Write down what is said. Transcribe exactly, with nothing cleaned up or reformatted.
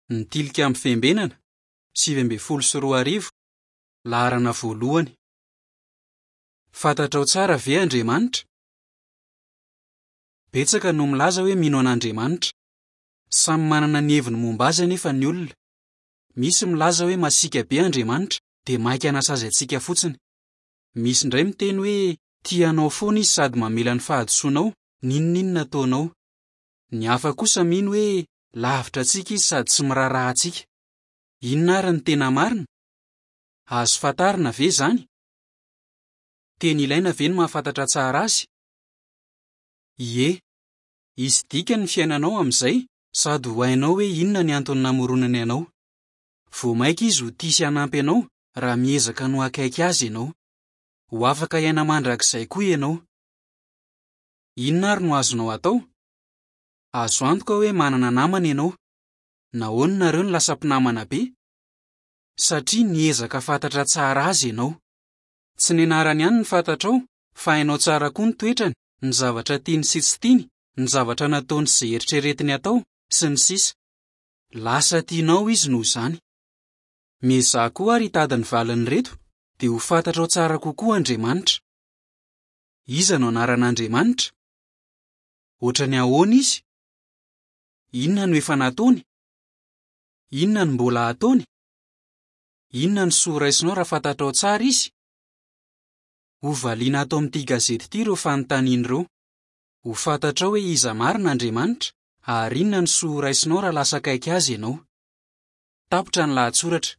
Ny Tilikambo Fiambenana, sivy ambin'ny folo sy roa arivo, laharana voalohany. Fantatrao tsara ve Andriamanitra? Betsaka no milaza hoe mino an'Andriamanitra. Samy manana ny heviny momba azy anefa ny olona. Misy milaza hoe masiaka be Andriamanitra dia maika hanasazy antsika fotsiny. Misy indray miteny hoe tia anao foana izy sady mamela ny fahadisoanao, n'inon'inona ataonao. Ny hafa kosa mino hoe lavitra antsika izy sady tsy miraharaha antsika. Inona ary no tena marina? Azo fantarina ve izany? Tena ilaina ve ny mahafantatra tsara azy? Ie. Hisy dikany ny fiainanao amin'izay sady ho hainao hoe inona ny antony namoronany anao. Vao mainka izy ho tia sy hanampy anao raha miezaka ny ho akaiky azy ianao. Ho afaka hiaina mandrakizay koa ianao. Inona ary no azonao atao? Azo antoka hoe manana namana ianao. Nahoana nareo no lasa mpinamana be? Satria niezaka fantatra tsara azy ianao. Tsy ny anarany ihany no fantatrao fa hainao tsara koa ny toetrany, ny zavatra tiany sy tsy tiany, ny zavatra nataony sy izay eritreretiny atao, sy ny sisa. Lasa tianao izy noho izany. Miezaha koa ary hitady ny valin'ireto dia ho fantatrao tsara kokoa Andriamanitra. Iza no anaran'Andriamanitra? Ohatran'ny ahoana izy? Inona no efa nataony? Inona no mbola hataony? Inona no soa raisinao raha fantatrao tsara izy? Hovaliana ato amin'ity gazety ity ireo fanontaniana ireo. Ho fantatrao hoe iza marina Andriamanitra ary inona no soa raisinao raha lasa akaiky azy ianao. Tapitra ny lahatsoratra.